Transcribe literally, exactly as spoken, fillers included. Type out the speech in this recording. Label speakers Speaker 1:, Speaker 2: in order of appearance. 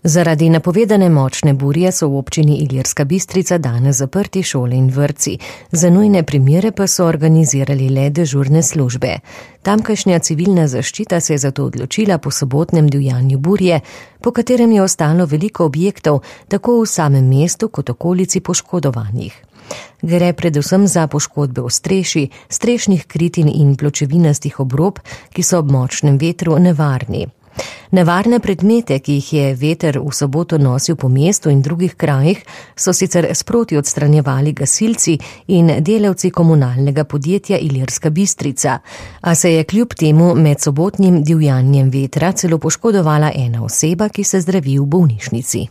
Speaker 1: Zaradi napovedane močne burje so v občini Ilirska Bistrica danes zaprti šole in vrtci. Za nujne primere pa so organizirali le dežurne službe. Tamkajšnja civilna zaščita se je zato odločila po sobotnem divjanju burje, po katerem je ostalo veliko objektov, tako v samem mestu kot okolici poškodovanih. Gre predvsem za poškodbe ostrešij, strešnih kritin in pločevinastih obrob, ki so ob močnem vetru nevarni. Nevarne predmete, ki jih je veter v soboto nosil po mestu in drugih krajih, so sicer sproti odstranjevali gasilci in delavci komunalnega podjetja Ilirska Bistrica, a se je kljub temu med sobotnim divjanjem vetra celo poškodovala ena oseba, ki se zdravi v bolnišnici.